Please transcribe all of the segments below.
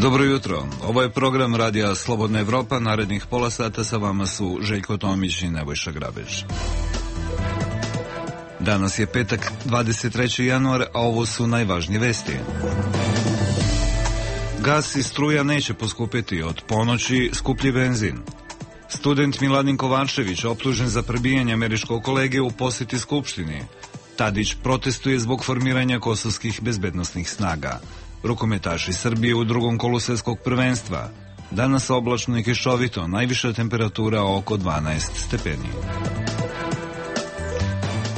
Dobro jutro, ovo je program Radija Slobodna Evropa, narednih pola sata sa vama su Željko Tomić i Nebojša Grabež. Danas je petak, 23. januar, a ovo su najvažnije vesti. Gas i struja neće poskupiti, od ponoći skuplji benzin. Student Miladin Kovačević optužen za prebijanje američkog kolege u poseti Skupštini. Tadić protestuje zbog formiranja kosovskih bezbednosnih snaga. Rukometaši Srbije u drugom kolu svjetskog prvenstva. Danas oblačno i kišovito, najviša temperatura oko 12 stepeni.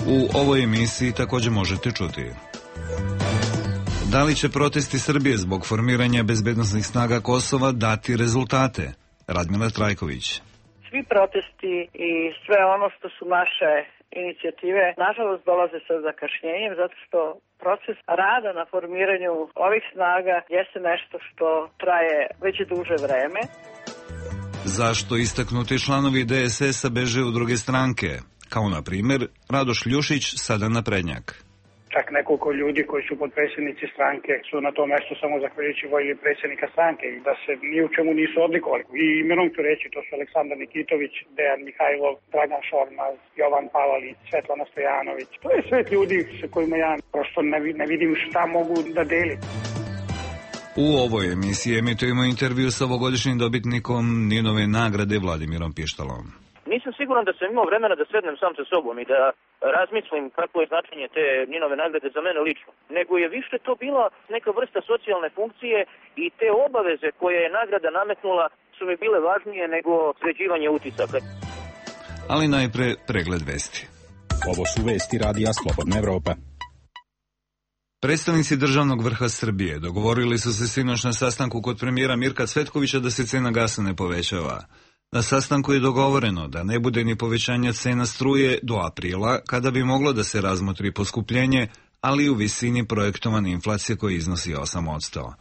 U ovoj emisiji također možete čuti: da li će protesti Srbije zbog formiranja bezbednosnih snaga Kosova dati rezultate? Radmila Trajković. Svi protesti i sve ono što su naše inicijative, nažalost, dolaze sa zakašnjenjem, zato što proces rada na formiranju ovih snaga jeste nešto što traje već duže vreme. Zašto istaknuti članovi DSS-a beže u druge stranke? Kao na primjer Radoš Ljušić, sada naprednjak. Čak nekoliko ljudi koji su potpredsjednici stranke su na tom mjestu samo zahvaljujući volji predsjednika stranke i da se ni u čemu nisu odlikovali. I imenom ću reći, to su Aleksandar Nikitović, Dejan Mihajlov, Dragan Šormaz, Jovan Palalić, Svetlana Stojanović. To je svet ljudi sa kojima ja prosto ne vidim šta mogu da delim. U ovoj emisiji emitujemo intervju sa ovogodišnjim dobitnikom Ninove nagrade Vladimirom Pištalom. Nisam siguran da sam imao vremena da sednem sam sa sobom i da razmislim kako je značenje te Ninove nagrade za mene lično. Nego je više to bila neka vrsta socijalne funkcije i te obaveze koje je nagrada nametnula su mi bile važnije nego sređivanje utisaka. Ali najpre pregled vesti. Ovo su vesti Radija Slobodna Evropa. Predstavnici državnog vrha Srbije dogovorili su se sinoć na sastanku kod premijera Mirka Cvetkovića da se cena gasa ne povećava. Na sastanku je dogovoreno da ne bude ni povećanja cena struje do aprila, kada bi moglo da se razmotri poskupljenje, ali u visini projektovane inflacije koja iznosi 8%.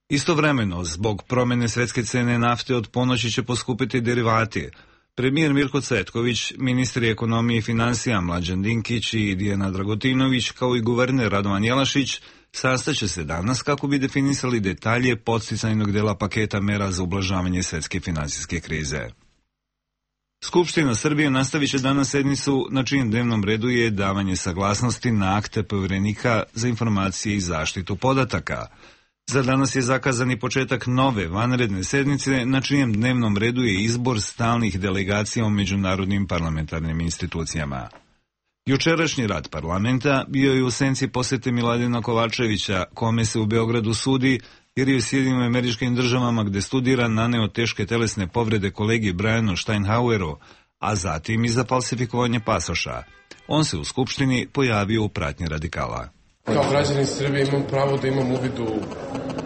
Istovremeno, zbog promjene svetske cene nafte od ponoći će poskupiti derivati. Premijer Mirko Cvetković, ministri ekonomije i financija Mlađan Dinkić i Dijana Dragotinović, kao i guverner Radovan Jelašić, sastaće se danas kako bi definisali detalje podsticajnog dela paketa mera za ublažavanje svetske financijske krize. Skupština Srbije nastavit će danas sednicu na čijem dnevnom redu je davanje saglasnosti na akte povjerenika za informacije i zaštitu podataka. Za danas je zakazani početak nove vanredne sednice na čijem dnevnom redu je izbor stalnih delegacija u međunarodnim parlamentarnim institucijama. Jučerašnji rad parlamenta bio je u senci posete Miladina Kovačevića, kome se u Beogradu sudi jer je u Sjedinjenim Američkim Državama gde studira naneo teške telesne povrede kolegi Brianu Steinhaueru, a zatim i za falsifikovanje pasoša. On se u Skupštini pojavio u pratnji radikala. Kao građanin Srbije imam pravo da imam uvid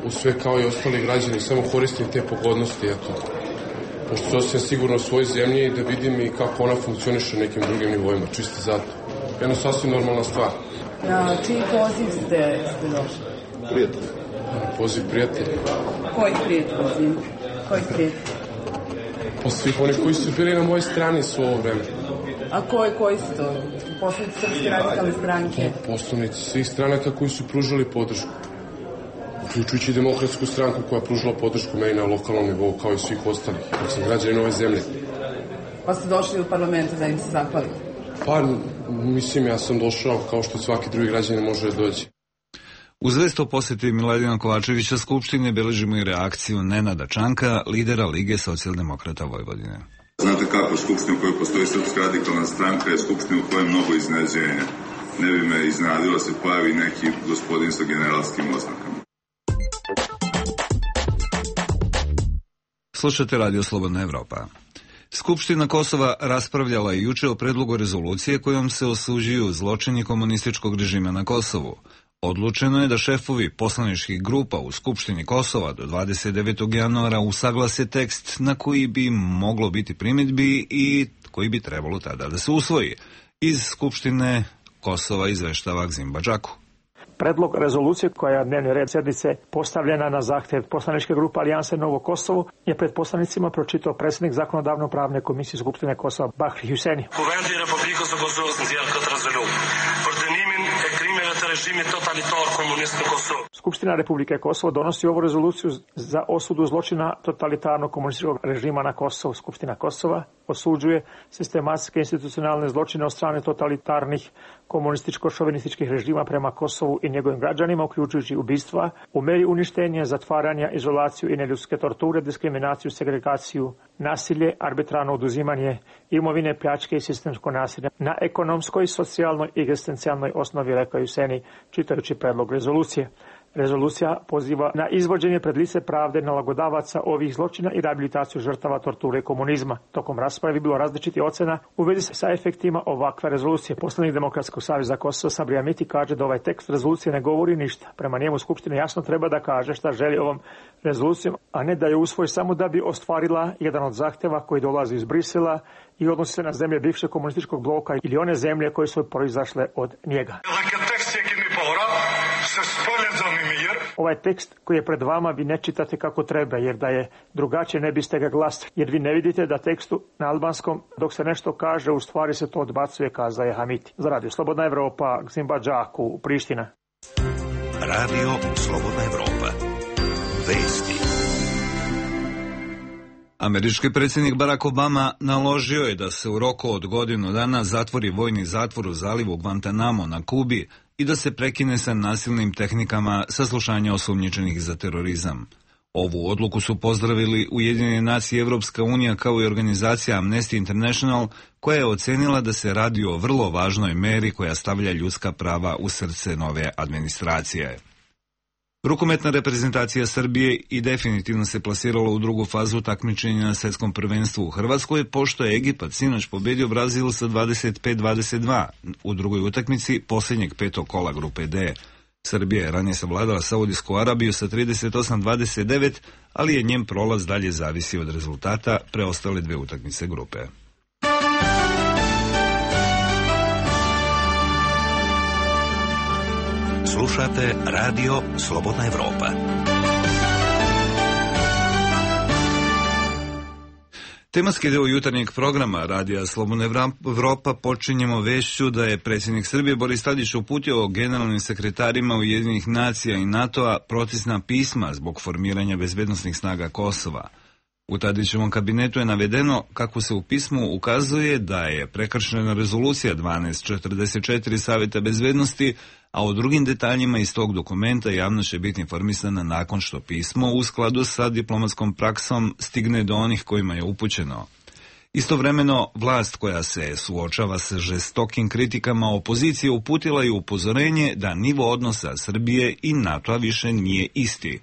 u sve kao i ostali građani, samo koristim te pogodnosti, pošto sam sigurno u svojoj zemlji da vidim i kako ona funkcioniše na nekim drugim nivoima, čisto zato. Jedno sasvim normalna stvar. Na čiji poziv ste došli? Prijatelj. Poziv prijatelja. Koji prijatelj? Koji prijatelj? Pa svih onih koji su bili na mojoj strani su ovo vreme. A koji su to? Poslanici Srpske radikalne stranke? Poslanici svih stranaka koji su pružali podršku. Uključujući Demokratsku stranku koja je pružila podršku meni na lokalnom nivou kao i svih ostalih. Ja sam građanin ove zemlje. Pa ste došli u parlamentu da im se zahvalite? Pa, mislim, ja sam došao kao što svaki drugi građanin može da dođe. Uz vest o posjeti Miladina Kovačevića Skupštine beležimo i reakciju Nenada Čanka, lidera Lige socijaldemokrata Vojvodine. Znate kako, Skupština u kojoj postoji Srpska radikalna stranka je Skupština u kojoj je mnogo iznenađenja. Ne bi me iznenadilo se pojavi neki gospodin sa generalskim oznakama. Slušate Radio Slobodna Evropa. Skupština Kosova raspravljala je juče o predlogu rezolucije kojom se osuđuju zločini komunističkog režima na Kosovu. Odlučeno je da šefovi poslaničkih grupa u Skupštini Kosova do 29. januara usaglase tekst na koji bi moglo biti primjedbi i koji bi trebalo tada da se usvoji. Iz Skupštine Kosova izveštava Gzim Badžaku. Predlog rezolucije koja je dnevni red sednice postavljena na zahtev poslaničke grupe Alijanse Novo Kosovo je pred poslanicima pročitao predsjednik zakonodavno-pravne komisije Skupštine Kosova Bahri Huseni. režim je totalitar komunističkog Kosova. Skupština Republike Kosovo donosi ovu rezoluciju za osudu zločina totalitarnog komunističkog režima na Kosovu. Skupština Kosova osuđuje sistematske institucionalne zločine od strane totalitarnih komunističko-šovinističkih režima prema Kosovu i njegovim građanima, uključujući ubistva, u meri uništenja, zatvaranja, izolaciju i neljudske torture, diskriminaciju, segregaciju, nasilje, arbitrarno oduzimanje imovine, pljačke i sistemsko nasilje na ekonomskoj, socijalnoj i egzistencijalnoj osnovi, rekao je Seni čitajući predlog rezolucije. Rezolucija poziva na izvođenje pred lice pravde nalagodavaca ovih zločina i rehabilitaciju žrtava torture komunizma. Tokom rasprave bilo različiti ocena u vezi sa efektima ovakve rezolucije. Poslanik Demokratskog saveza Kosova Sabri Amiti kaže da ovaj tekst rezolucije ne govori ništa. Prema njemu Skupština jasno treba da kaže šta želi ovom rezolucijom, a ne da je usvoji samo da bi ostvarila jedan od zahteva koji dolazi iz Brisela i odnosi se na zemlje bivšeg komunističkog bloka ili one zemlje koje su proizašle od njega. Ovaj tekst koji je pred vama vi ne čitate kako treba, jer da je drugačije ne biste ga glasili. Jer vi ne vidite da tekstu na albanskom dok se nešto kaže, u stvari se to odbacuje, kazao je Hamiti. Za Radio Slobodna Evropa, Gzimba Džaku, Priština. Radio Slobodna Evropa. Vesti. Američki predsjednik Barack Obama naložio je da se u roku od godinu dana zatvori vojni zatvor u zalivu Guantanamo na Kubi i da se prekine sa nasilnim tehnikama saslušanja osumnjičenih za terorizam. Ovu odluku su pozdravili Ujedinjene nacije, Evropska unija kao i organizacija Amnesty International, koja je ocenila da se radi o vrlo važnoj meri koja stavlja ljudska prava u srce nove administracije. Rukometna reprezentacija Srbije i definitivno se plasirala u drugu fazu takmičenja na svjetskom prvenstvu u Hrvatskoj, pošto je Egipat sinoć pobedio Brazil sa 25-22 u drugoj utakmici posljednjeg petog kola grupe D. Srbija je ranije savladala Saudijsku Arabiju sa 38-29, ali je njen prolaz dalje zavisi od rezultata preostale dve utakmice grupe. Slušate Radio Slobodna Evropa. Tematski deo jutarnjeg programa Radija Slobodna Evropa počinjemo vešću da je predsjednik Srbije Boris Tadić uputio generalnim sekretarima Ujedinjenih nacija i NATO-a protestna pisma zbog formiranja bezbednosnih snaga Kosova. U Tadićevom kabinetu je navedeno kako se u pismu ukazuje da je prekršena rezolucija 1244 Savjeta bezbednosti, a o drugim detaljima iz tog dokumenta javnost će biti informisana nakon što pismo u skladu sa diplomatskom praksom stigne do onih kojima je upućeno. Istovremeno, vlast koja se suočava sa žestokim kritikama opozicije uputila je upozorenje da nivo odnosa Srbije i NATO-a više nije isti.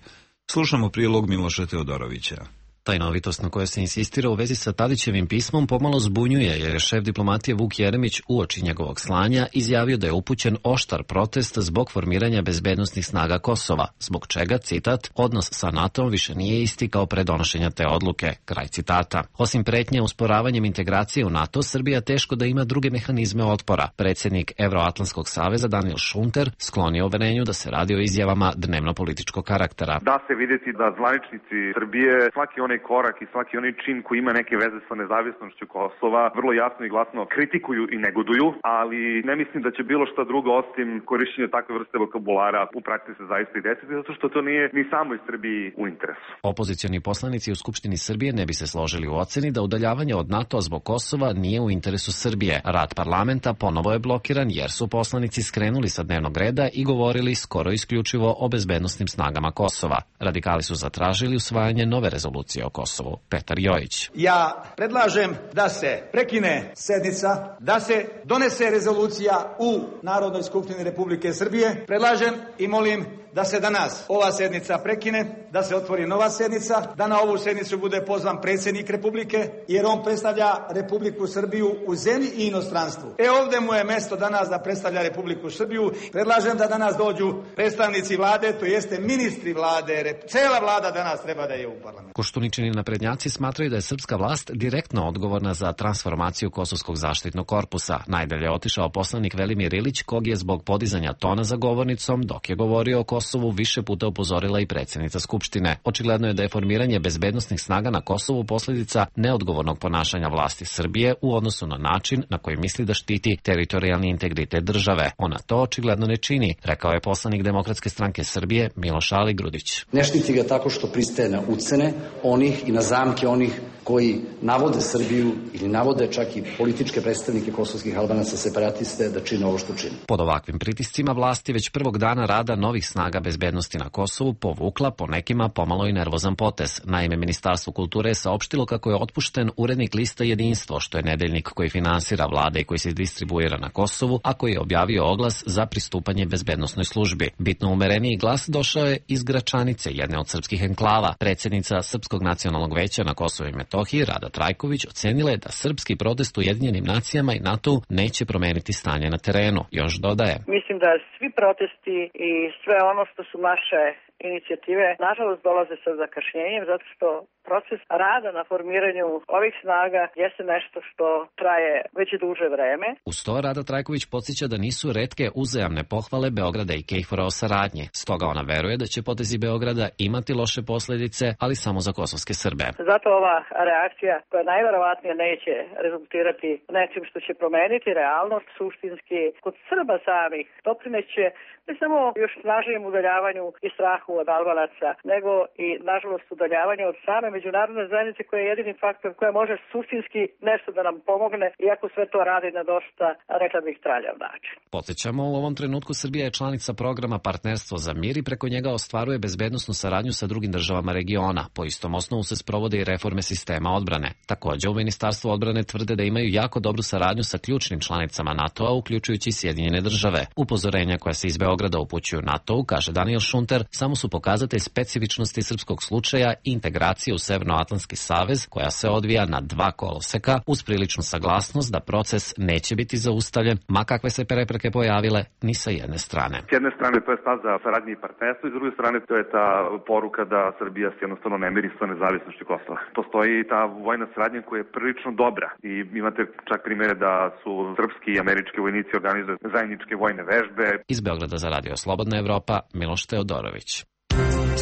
Slušamo prilog Miloša Teodorovića. Tajnovitost na kojoj se insistira u vezi sa Tadićevim pismom pomalo zbunjuje, jer je šef diplomatije Vuk Jeremić uoči njegovog slanja izjavio da je upućen oštar protest zbog formiranja bezbednosnih snaga Kosova, zbog čega, citat, odnos sa NATO-om više nije isti kao pre donošenja te odluke, kraj citata. Osim pretnje usporavanjem integracije u NATO, Srbija teško da ima druge mehanizme otpora. Predsjednik Evroatlantskog saveza Daniel Šunter sklonio uverenju da se radi o izjavama dnevno-političkog karaktera. Da se vidjeti da zvaničnici Srbije svaki onaj korak i svaki onaj čin koji ima neke veze sa nezavisnošću Kosova vrlo jasno i glasno kritikuju i negoduju, ali ne mislim da će bilo šta drugo osim korišćenja takve vrste vokabulara u praksi se zaista i desiti, zato što to nije ni samoj Srbiji u interesu. Opozicioni poslanici u Skupštini Srbije ne bi se složili u oceni da udaljavanje od NATO-a zbog Kosova nije u interesu Srbije. Rad parlamenta ponovo je blokiran jer su poslanici skrenuli sa dnevnog reda i govorili skoro isključivo o bezbednosnim snagama Kosova. Radikali su zatražili usvajanje nove rezolucije o Kosovu. Petar Jojić. Ja predlažem da se prekine sednica, da se donese rezolucija u Narodnoj skupštini Republike Srbije. Predlažem i molim da se danas ova sednica prekine, da se otvori nova sednica, da na ovu sednicu bude pozvan predsjednik Republike, jer on predstavlja Republiku Srbiju u zemlji i inostranstvu. Ovdje mu je mesto danas da predstavlja Republiku Srbiju. Predlažem da danas dođu predstavnici vlade, to jeste ministri vlade, cela vlada danas treba da je u parlamentu. Koštunički Ograničeni naprednjaci smatraju da je srpska vlast direktno odgovorna za transformaciju Kosovskog zaštitnog korpusa. Najdalje je otišao poslanik Velimir Ilić, kog je zbog podizanja tona za govornicom, dok je govorio o Kosovu, više puta upozorila i predsjednica Skupštine. Očigledno je da je formiranje bezbednosnih snaga na Kosovu posljedica neodgovornog ponašanja vlasti Srbije u odnosu na način na koji misli da štiti teritorijalni integritet države. Ona to očigledno ne čini, rekao je poslanik Demokratske stranke Srbije Miloš Aligrudić. Ne štiti ga tako što pristaje na ucene onih i na zamke onih koji navode Srbiju ili navode čak i političke predstavnike kosovskih Albanaca separatiste da čine ovo što čine. Pod ovakvim pritiscima vlasti već prvog dana rada novih snaga bezbednosti na Kosovu povukla po nekima pomalo i nervozan potez. Naime, Ministarstvo kulture je saopštilo kako je otpušten urednik lista Jedinstvo, što je nedeljnik koji finansira vlade i koji se distribuira na Kosovu, a koji je objavio oglas za pristupanje bezbednosnoj službi. Bitno umereniji glas došao je iz Gračanice, jedne od srpskih enklava. Predsjednica Srpskog nacionalnog veća na Kosovu i Metohiji, Rada Trajković, ocenila je da srpski protest u Ujedinjenim nacijama i NATO neće promeniti stanje na terenu. Još dodaje: Mislim da svi protesti i sve ono što su naše inicijative, nažalost, dolaze sa zakašnjenjem, zato što proces rada na formiranju ovih snaga jeste nešto što traje već duže vreme. Uz to Rada Trajković podsjeća da nisu retke uzajamne pohvale Beograda i KFOR-a o saradnji. Stoga ona veruje da će potezi Beograda imati loše posljedice, ali samo za kosovske Srbe. Zato ova reakcija, koja najverovatnije neće rezultirati nečim što će promeniti realnost, suštinski kod Srba samih doprineće ne samo još snažnijem udaljavanju i strahu od Albanaca, nego i, nažalost, udaljavanju od same međunarodne zajednice koja je jedini faktor koja može suštinski nešto da nam pomogne, iako sve to radi na dosta, rekla bih, traljav način. Podsjećamo, u ovom trenutku Srbija je članica programa Partnerstvo za mir i preko njega ostvaruje bezbednosnu saradnju sa drugim državama regiona. Po istom osnovu se sprovode i reforme sistema odbrane. Također, u Ministarstvu odbrane tvrde da imaju jako dobru saradnju sa ključnim članicama NATO-a, uključujući i Sjedinjene države. Upozorenja koja se iz Beograda upućuju NATO-u, kaže Daniel Šunter, samo su pokazatelj specifičnosti srpskog slučaja i integracije u Severnoatlantski savez, koja se odvija na 2 koloseka, uz priličnu saglasnost da proces neće biti zaustavljen, ma kakve se prepreke pojavile, ni sa jedne strane. S jedne strane to je stav za saradnje i partnerstvo, i s druge strane to je ta poruka da Srbija se jednostavno ne miri sa nezavisnošću Kosova. Postoji ta vojna saradnja koja je prilično dobra i imate čak primjere da su srpski i američki vojnici organizuju zajedničke vojne vežbe. Iz Beograda za Radio Slobodna Evropa, Miloš Teodorović.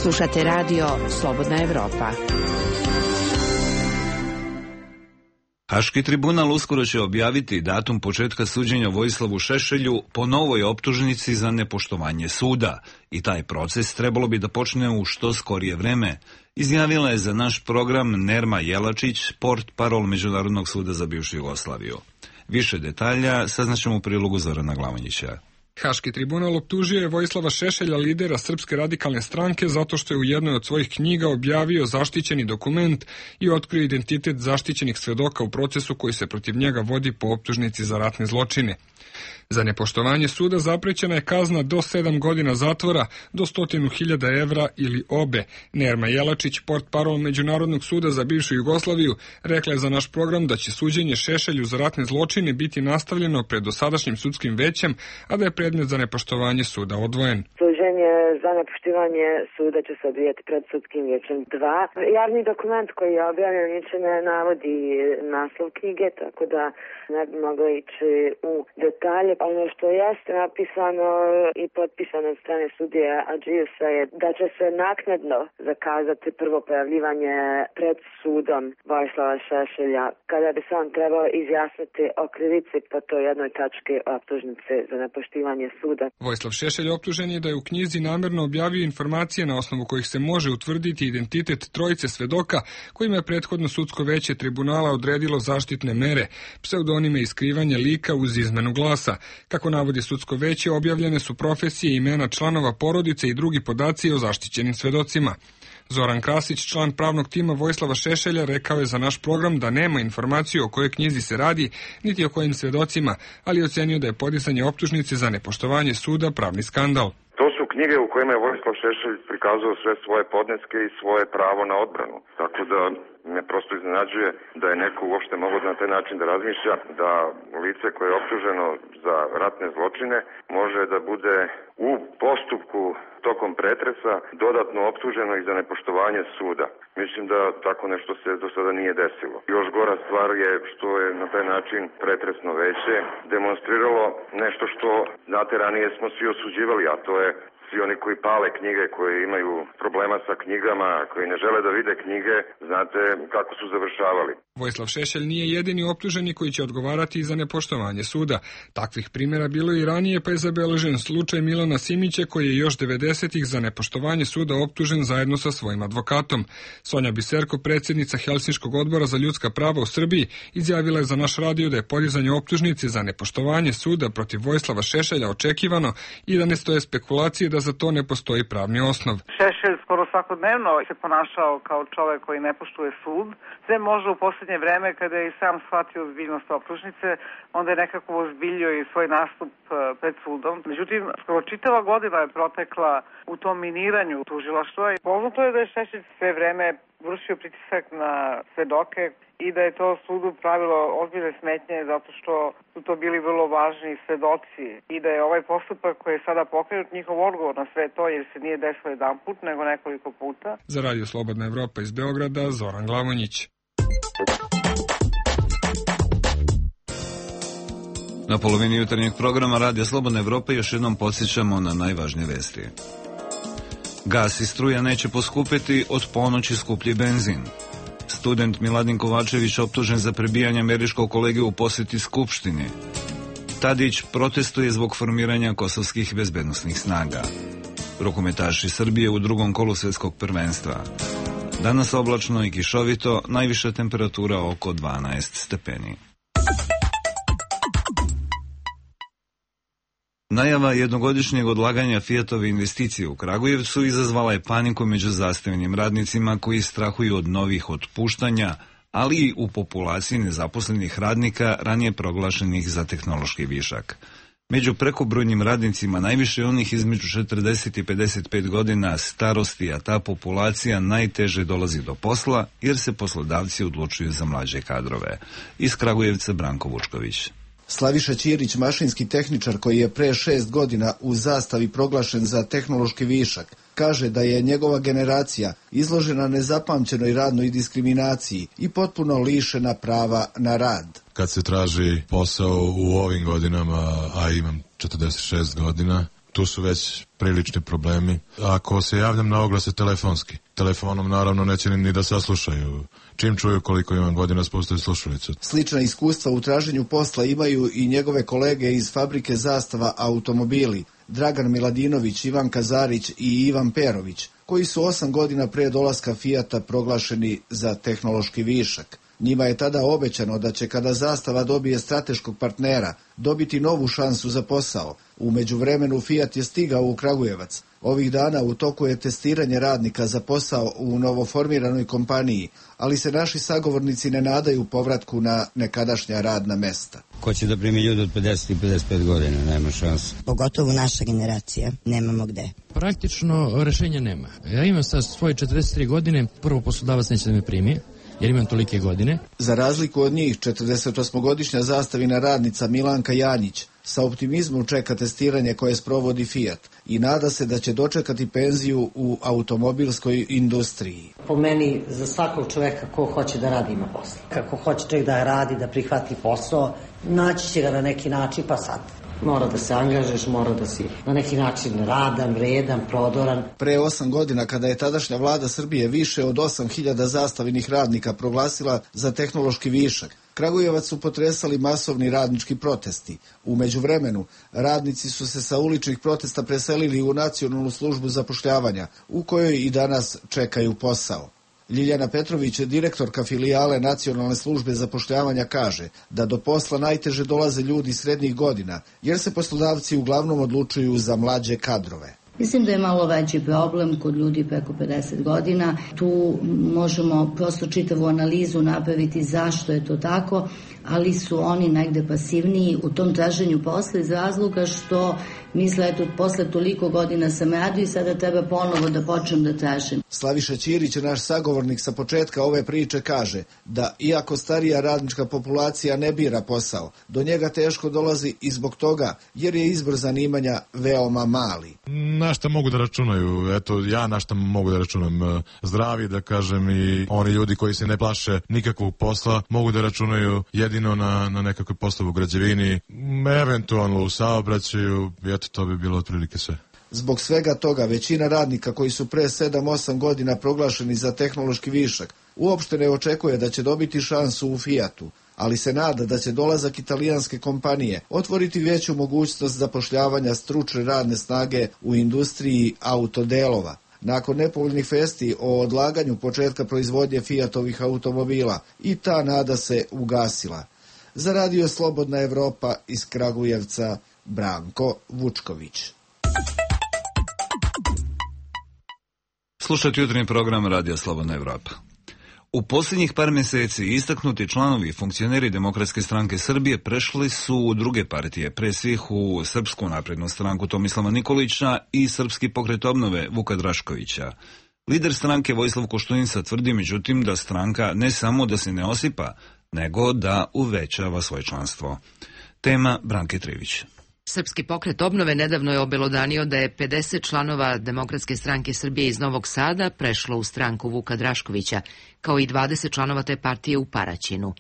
Slušate Radio Slobodna Evropa. Haški tribunal uskoro će objaviti datum početka suđenja Vojislavu Šešelju po novoj optužnici za nepoštovanje suda i taj proces trebalo bi da počne u što skorije vreme, izjavila je za naš program Nerma Jelačić, portparol Međunarodnog suda za bivšu Jugoslaviju. Više detalja saznaćemo u prilogu Zorana Glavonjića. Haški tribunal optužio je Vojislava Šešelja, lidera Srpske radikalne stranke, zato što je u jednoj od svojih knjiga objavio zaštićeni dokument i otkrio identitet zaštićenih svedoka u procesu koji se protiv njega vodi po optužnici za ratne zločine. Za nepoštovanje suda zaprećena je kazna do 7 godina zatvora do 100.000 evra ili obe. Nerma Jelačić, portparol Međunarodnog suda za bivšu Jugoslaviju, rekla je za naš program da će suđenje Šešelju za ratne zločine biti nastavljeno pred dosadašnjim sudskim većem, a da je predmet za nepoštovanje suda odvojen. Suđenje za nepoštivanje suda će se odvijati pred sudskim vijećem 2. Javni dokument koji je objavljen niče ne navodi naslov knjige, tako da ne bi moglo ići u detalje. Ono što jeste napisano i potpisano od strane sudije Adžiusa je da će se naknadno zakazati prvo pojavljivanje pred sudom Vojislava Šešelja, kada bi se on trebao izjasniti o krivici po toj jednoj tački optužnice za nepoštivanje suda. Vojislav Šešelj optužen je da je u knjizi namjerno objavio informacije na osnovu kojih se može utvrditi identitet trojice svedoka kojima je prethodno sudsko veće tribunala odredilo zaštitne mere, pseudonime i skrivanje lika uz izmenu glasa. Kako navodi sudsko veće, objavljene su profesije i imena članova porodice i drugi podaci o zaštićenim svedocima. Zoran Krasić, član pravnog tima Vojislava Šešelja, rekao je za naš program da nema informaciju o kojoj knjizi se radi, niti o kojim svedocima, ali ocenio da je podizanje optužnice za nepoštovanje suda pravni skandal. To su knjige u kojima je Vojislav Šešelj prikazao sve svoje podneske i svoje pravo na odbranu. Tako da me prosto iznenađuje da je neko uopšte mogao na taj način da razmišlja, da lice koje je optuženo za ratne zločine može da bude u postupku tokom pretresa dodatno optuženo i za nepoštovanje suda. Mislim da tako nešto se do sada nije desilo. Još gora stvar je što je na taj način pretresno veće demonstriralo nešto što, znate, ranije smo svi osuđivali, a to je svi oni koji pale knjige, koji imaju problema sa knjigama, koji ne žele da vide knjige, znate kako su završavali. Vojislav Šešelj nije jedini optuženi koji će odgovarati za nepoštovanje suda. Takvih primjera bilo i ranije, pa je zabeležen slučaj Milana Simića koji je još 90-ih za nepoštovanje suda optužen zajedno sa svojim advokatom. Sonja Biserko, predsjednica Helsinškog odbora za ljudska prava u Srbiji, izjavila je za naš radio da je podizanje optužnice za nepoštovanje suda protiv Vojislava Šešelja očekivano i da ne stoje spekulacije da za to ne postoji pravni osnov. Šešelj skoro svakodnevno se ponašao kao čovek koji ne poštuje sud. Sve može u posljednje vreme kada je i sam shvatio ozbiljnost optužnice, onda je nekako ozbiljio i svoj nastup pred sudom. Međutim, skoro čitava godina je protekla u tom miniranju tužilaštva i poznato je da je Šešelj sve vreme vršio pritisak na svedoke i da je to sudu pravilo ozbiljne smetnje zato što su to bili vrlo važni svedoci i da je ovaj postupak koji je sada pokrenut njihov odgovor na sve to jer se nije desilo jedan put nego nekoliko puta. Za Radio Slobodna Evropa iz Beograda, Zoran Glavonjić. Na polovini jutarnjeg programa Radija Slobodna Evropa još jednom podsjećamo na najvažnije vesti. Gas i struja neće poskupiti, od ponoći skuplji benzin. Student Miladin Kovačević optužen za prebijanje američkog kolege u posjeti Skupštini. Tadić protestuje zbog formiranja kosovskih bezbednosnih snaga. Rukometaši Srbije u drugom kolu svjetskog prvenstva. Danas oblačno i kišovito, najviša temperatura oko 12 stepeni. Najava jednogodišnjeg odlaganja Fiatove investicije u Kragujevcu izazvala je paniku među zastavljenim radnicima koji strahuju od novih otpuštanja, ali i u populaciji nezaposlenih radnika ranije proglašenih za tehnološki višak. Među prekobrojnim radnicima najviše onih između 40 i 55 godina starosti, a ta populacija najteže dolazi do posla jer se poslodavci odlučuju za mlađe kadrove. Iz Kragujevca Branko Vučković. Slaviša Ćirić, mašinski tehničar koji je pre 6 godina u Zastavi proglašen za tehnološki višak, kaže da je njegova generacija izložena nezapamćenoj radnoj diskriminaciji i potpuno lišena prava na rad. Kad se traži posao u ovim godinama, a imam 46 godina, tu su već prilični problemi. Ako se javljam na oglase telefonski, telefonom naravno neće ni da saslušaju. Čim čuju koliko imam godina, spustaju slušalicu. Slična iskustva u traženju posla imaju i njegove kolege iz fabrike Zastava automobili, Dragan Miladinović, Ivan Kazarić i Ivan Perović, koji su 8 godina pre dolaska Fijata proglašeni za tehnološki višak. Njima je tada obećano da će kada Zastava dobije strateškog partnera dobiti novu šansu za posao. U međuvremenu Fijat je stigao u Kragujevac. Ovih dana u toku je testiranje radnika za posao u novoformiranoj kompaniji, ali se naši sagovornici ne nadaju povratku na nekadašnja radna mesta. Ko će da primi ljudi od 50 i 55 godina, nema šanse. Pogotovo naša generacija, nemamo gde. Praktično rešenja nema. Ja imam sad svoje 43 godine, prvo poslodavac neće da me primi, jer imam tolike godine. Za razliku od njih, 48-godišnja zastavina radnica Milanka Janjić sa optimizmom čeka testiranje koje sprovodi Fiat i nada se da će dočekati penziju u automobilskoj industriji. Po meni, za svakog čoveka ko hoće da radi ima posla. Kako hoće čovjek da radi, da prihvati posao, naći će ga na neki način, pa sad. Mora da se angažeš, mora da si na neki način radan, vredan, prodoran. Pre 8 godina, kada je tadašnja vlada Srbije više od 8.000 zastavinih radnika proglasila za tehnološki višak, Kragujevac su potresali masovni radnički protesti. U međuvremenu, radnici su se sa uličnih protesta preselili u Nacionalnu službu zapošljavanja, u kojoj i danas čekaju posao. Ljiljana Petrović, direktorka filijale Nacionalne službe zapošljavanja, kaže da do posla najteže dolaze ljudi srednjih godina, jer se poslodavci uglavnom odlučuju za mlađe kadrove. Mislim da je malo veći problem kod ljudi preko 50 godina. Tu možemo prosto čitavu analizu napraviti zašto je to tako, ali su oni negde pasivniji u tom traženju posla iz razloga što misle, eto, posle toliko godina sam radio i sada treba ponovo da počnem da tražim. Slaviša Ćirić, naš sagovornik sa početka ove priče, kaže da iako starija radnička populacija ne bira posao, do njega teško dolazi i zbog toga jer je izbor zanimanja veoma mali. Na šta mogu da računaju? Eto, ja na šta mogu da računam? Zdravi, da kažem, i oni ljudi koji se ne plaše nikakvog posla mogu da računaju jedino na nekakve poslove u građevini, eventualno u saobraćaju. Eto, to bi bilo otprilike sve. Zbog svega toga, većina radnika koji su pre 7-8 godina proglašeni za tehnološki višak uopšte ne očekuje da će dobiti šansu u Fijatu, ali se nada da će dolazak italijanske kompanije otvoriti veću mogućnost zapošljavanja stručne radne snage u industriji autodelova. Nakon nepovoljnih vesti o odlaganju početka proizvodnje Fijatovih automobila, i ta nada se ugasila. Za Radio Slobodna Evropa iz Kragujevca, Branko Vučković. Slušajte jutarnji program Radio Slobodna Evropa. U posljednjih par mjeseci istaknuti članovi i funkcioneri Demokratske stranke Srbije prešli su u druge partije, pre svih u Srpsku naprednu stranku Tomislava Nikolića i Srpski pokret obnove Vuka Draškovića. Lider stranke Vojislav Koštunica tvrdi međutim da stranka ne samo da se ne osipa, nego da uvećava svoje članstvo. Tema Branke Trivić. Srpski pokret obnove nedavno je obelodanio da je 50 članova Demokratske stranke Srbije iz Novog Sada prešlo u stranku Vuka Draškovića, kao i 20 članova te partije u Paraćinu.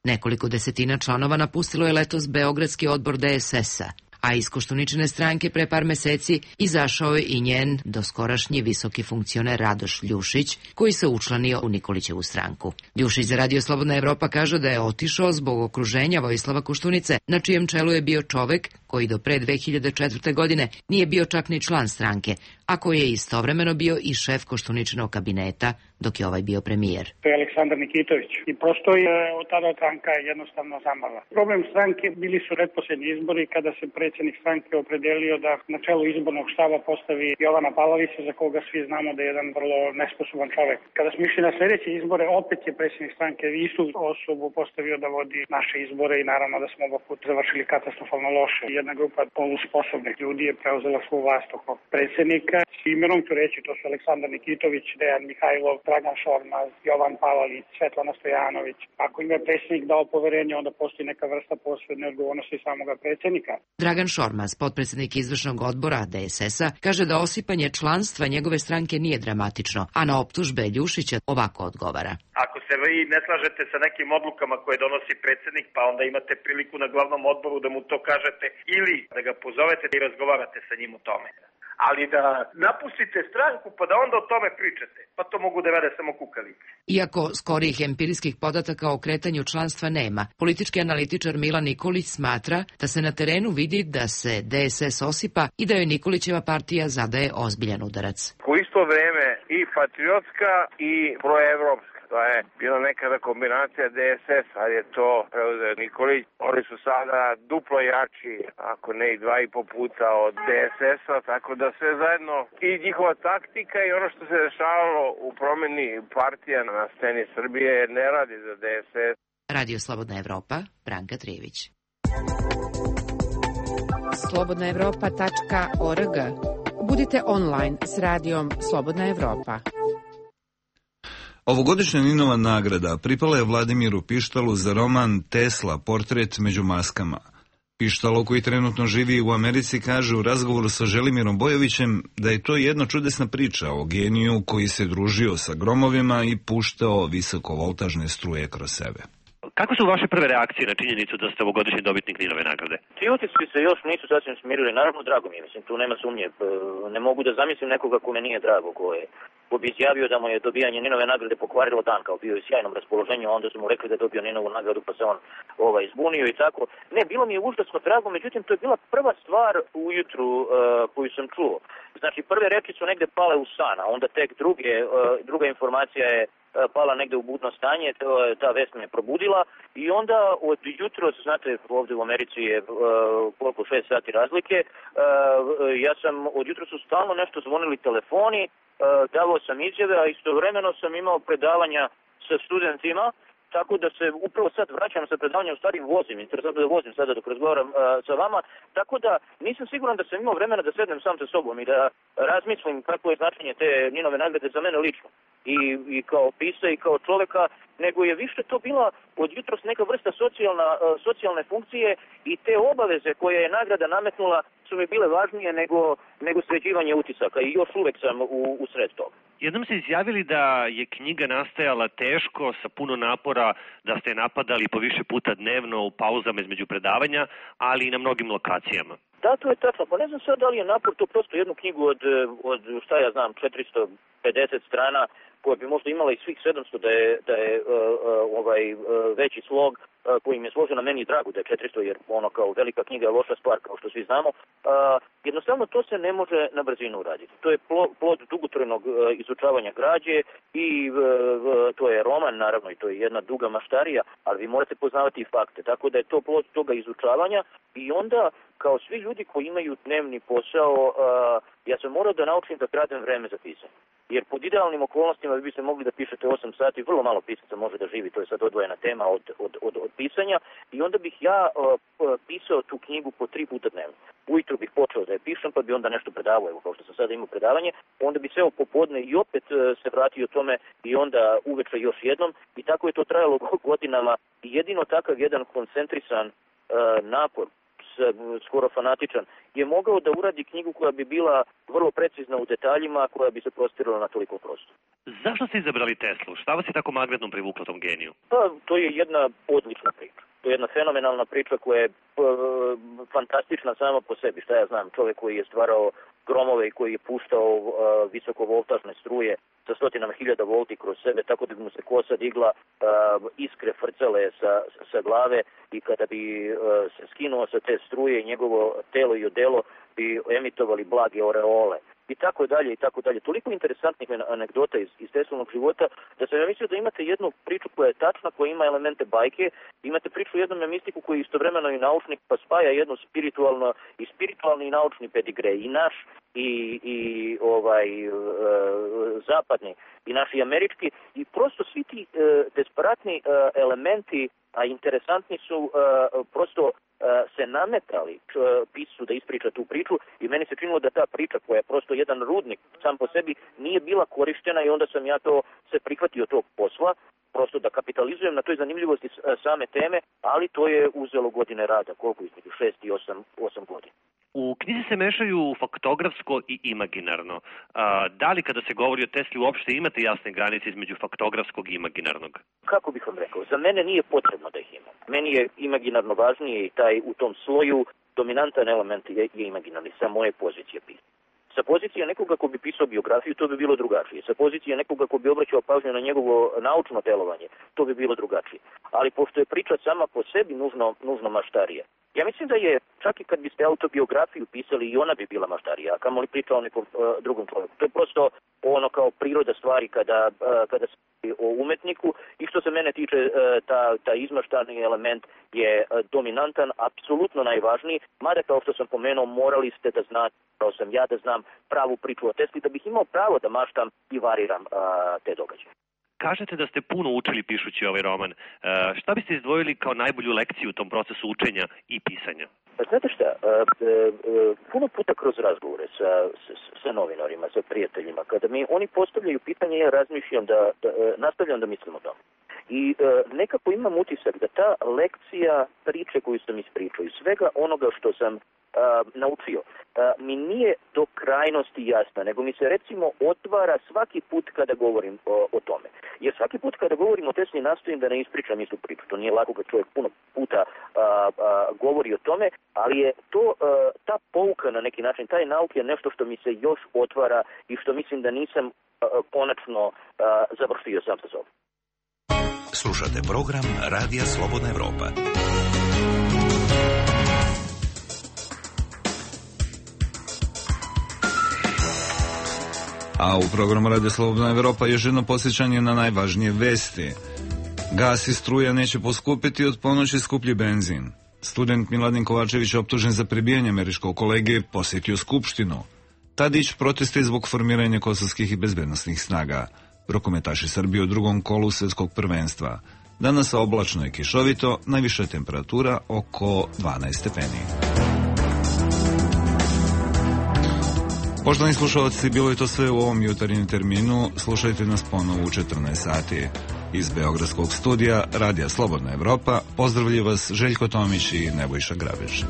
Nekoliko desetina članova napustilo je letos Beogradski odbor DSS-a, a iz Koštuničine stranke pre par meseci izašao je i njen doskorašnji visoki funkcioner Radoš Ljušić, koji se učlanio u Nikolićevu stranku. Ljušić za Radio Slobodna Evropa kaže da je otišao zbog okruženja Vojislava Koštunice, na čijem čelu je bio čovek koji do pre 2004. godine nije bio čak ni član stranke, a koji je istovremeno bio i šef Koštuničinog kabineta dok je ovaj bio premijer. To je Aleksandar Nikitović i prosto je od tada stranka jednostavno zamrla. Problem stranke bili su pretposlednji izbori kada se predsjednik stranke opredelio da na čelu izbornog štaba postavi Jovana Pavlovića, za koga svi znamo da je jedan vrlo nesposoban čovek. Kada smo išli na sljedeće izbore, opet je predsjednik stranke istu osobu postavio da vodi naše izbore i naravno da smo oba puta završili katastrofalno loše. Jedna grupa polusposobnih ljudi je preuzela svu vlast oko predsjednika. Imenom ću reći, to su Aleksandar Nikitović, Dejan Mihajlov, Dragan Šormaz, Jovan Palalić, Svetlana Stojanović. Ako im je predsjednik dao poverenje, onda postoji neka vrsta posredne odgovornosti samoga predsjednika. Dragan Šormaz, potpredsjednik izvršnog odbora DSS-a, kaže da osipanje članstva njegove stranke nije dramatično, a na optužbe Ljušića ovako odgovara. Ako se vi ne slažete sa nekim odlukama koje donosi predsjednik, pa onda imate priliku na glavnom odboru da mu to kažete ili da ga pozovete i razgovarate sa njim o tome. Ali da napustite stranku pa da onda o tome pričate, pa to mogu da rade samo kukavice. Iako skorijih empirijskih podataka o kretanju članstva nema, politički analitičar Milan Nikolić smatra da se na terenu vidi da se DSS osipa i da joj Nikolićeva partija zadaje ozbiljan udarac. U isto vreme i patriotska i proevropska. To je bila nekada kombinacija DSS, ali je to preuzeo Nikolić. Oni su sada duplo jači, ako ne i 2,5 puta od DSS-a, tako da sve zajedno i njihova taktika i ono što se dešavalo u promjeni partija na sceni Srbije ne radi za DSS. Radio Slobodna Evropa, Branka Trivić. slobodnaevropa.org. Budite online s radijom Slobodna Evropa. Ovogodišnja Ninova nagrada pripala je Vladimiru Pištalu za roman Tesla, portret među maskama. Pištalo, koji trenutno živi u Americi, kaže u razgovoru sa Želimirom Bojovićem da je to jedna čudesna priča o geniju koji se družio sa gromovima i puštao visokovoltažne struje kroz sebe. Kako su vaše prve reakcije na činjenicu da ste ovogodišnji dobitnik Ninove nagrade? Ti utisci se još nisu sasvim smirili, naravno drago mi je, mislim, tu nema sumnje. Ne mogu da zamislim nekoga kome nije drago, ko bi izjavio da mu je dobijanje Ninove nagrade pokvarilo dan, kao bio u sjajnom raspoloženju, a onda su mu rekli da je dobio Ninovu nagradu pa se on izbunio i tako. Ne, bilo mi je užasno drago, međutim to je bila prva stvar ujutru koju sam čuo. Znači prve reči su negde pale u san, a onda tek druga informacija je pala negde u budno stanje, ta vest me probudila i onda od jutro, znate, ovde u Americi je koliko 6 sati razlike, ja sam od jutra su stalno nešto zvonili telefoni, davao sam izjave, a istovremeno sam imao predavanja sa studentima, tako da se upravo sad vraćam sa predavanja, u stvari vozim, interesantno da vozim sada dok razgovaram sa vama, tako da nisam siguran da sam imao vremena da sednem sam sa sobom i da razmislim kako je značenje te Ninove nagrade za mene lično. I kao pisa i kao čoveka, nego je više to bila od jutros neka vrsta socijalne funkcije i te obaveze koje je nagrada nametnula su mi bile važnije nego sređivanje utisaka i još uvek sam u sred toga. Jednom ste izjavili da je knjiga nastajala teško, sa puno napora, da ste je napadali po više puta dnevno u pauzama između predavanja, ali i na mnogim lokacijama. Da, to je tačno. Pa ne znam sad da li je napor to prosto jednu knjigu od šta ja znam, 450 strana, koja bi možda imala i svih 700 da je veći slog, koji mi je složeno, meni je drago da je 400, jer ono kao velika knjiga je loša stvar, kao što svi znamo. Jednostavno to se ne može na brzinu uraditi. To je plod dugotrajnog izučavanja građe i to je roman, naravno, i to je jedna duga maštarija, ali vi morate poznavati i fakte. Tako da je to plod toga izučavanja i onda, kao svi ljudi koji imaju dnevni posao, ja sam morao da naučim da kradem vreme za pisanje. Jer pod idealnim okolnostima vi biste mogli da pišete 8 sati, vrlo malo pisaca može da živi, to je sad odvojena tema od pisanja, i onda bih ja pisao tu knjigu po 3 puta dnevno. Ujutro bih počeo da je pišem, pa bi onda nešto predavao, evo kao što sam sada imao predavanje, onda bi seo popodne i opet se vratio tome i onda uveče još jednom, i tako je to trajalo godinama, i jedino takav jedan koncentrisan napor, skoro fanatičan, je mogao da uradi knjigu koja bi bila vrlo precizna u detaljima, koja bi se prostirala na toliko prostora. Zašto ste izabrali Teslu? Šta vas je tako magnetno privuklo tom geniju? Pa, to je jedna odlična priča. To je jedna fenomenalna priča koja je fantastična sama po sebi. Šta ja znam, čovjek koji je stvarao gromove i koji je puštao visokovoltažne struje sa 100.000 volti kroz sebe, tako da bi mu se kosa digla, iskre frcale sa glave, i kada bi se skinuo sa te struje, njegovo telo i odelo bi emitovali blage oreole. I tako dalje, i tako dalje. Toliko interesantnih anegdota iz Teslinog života, da sam ja mislio da imate jednu priču koja je tačna, koja ima elemente bajke, imate priču o jednom mistiku koji je istovremeno i naučnik, pa spaja jedno spiritualni i naučni pedigre, i naš, i zapadni, i naš i američki, i prosto svi ti desperatni elementi, a interesantni su, prosto se nametali piscu da ispriča tu priču, i meni se činilo da ta priča, koja je prosto jedan rudnik sam po sebi, nije bila korištena, i onda sam ja se prihvatio tog posla, prosto da kapitalizujem na toj zanimljivosti same teme, ali to je uzelo godine rada, koliko između 6 i 8 godina. U knjizi se mešaju faktografsko i imaginarno. Da li kada se govori o Tesli uopšte imate jasne granice između faktografskog i imaginarnog? Kako bih vam rekao, za mene nije potrebno da ih imam. Meni je imaginarno važnije, i taj u tom sloju dominantan element je imaginarni, sa moje pozicije pisanja. Sa pozicije nekoga ko bi pisao biografiju, to bi bilo drugačije. Sa pozicije nekoga ko bi obraćao pažnju na njegovo naučno delovanje, to bi bilo drugačije. Ali pošto je priča sama po sebi nužno maštarija, ja mislim da je, čak i kad biste autobiografiju pisali, i ona bi bila maštarija, a kamoli priča o nekom drugom čovjeku. To je prosto ono kao priroda stvari kada se o umetniku, i što se mene tiče, ta izmaštani element je dominantan, apsolutno najvažniji, mada kao što sam pomenuo, morali ste da znate, kao sam ja da znam pravu priču o Tesli, da bih imao pravo da maštam i variram te događaje. Kažete da ste puno učili pišući ovaj roman. Šta biste izdvojili kao najbolju lekciju u tom procesu učenja i pisanja? Znate šta, puno puta kroz razgovore sa novinarima, sa prijateljima, kada mi oni postavljaju pitanje, ja razmišljam nastavljam da mislim o tome. I nekako imam utisak da ta lekcija priče koju sam ispričao i svega onoga što sam naučio, mi nije do krajnosti jasna, nego mi se recimo otvara svaki put kada govorim o tome. Jer svaki put kada govorim o Tesli nastojim da ne ispričam istu priču. To nije lako kad čovjek puno puta govori o tome, ali je to ta pouka na neki način, taj nauk je nešto što mi se još otvara i što mislim da nisam konačno završio sam sa sobom. Slušate program Radija Slobodna Evropa. A u programu Radio Slobodna Evropa još jedno podsjećanje na najvažnije vesti. Gas i struja neće poskupiti, od ponoći skuplji benzin. Student Miladin Kovačević, optužen za prebijanje američkog kolege, posjetio Skupštinu. Tadić proteste zbog formiranja kosovskih i bezbednosnih snaga. Rukometaši Srbije u drugom kolu svetskog prvenstva. Danas oblačno i kišovito, najviša temperatura oko 12 stepeni. Poštovani slušalci, bilo je to sve u ovom jutarnjem terminu. Slušajte nas ponovo u 14 sati. Iz Beogradskog studija Radija Slobodna Evropa pozdravlja vas Željko Tomić i Nebojša Grabež.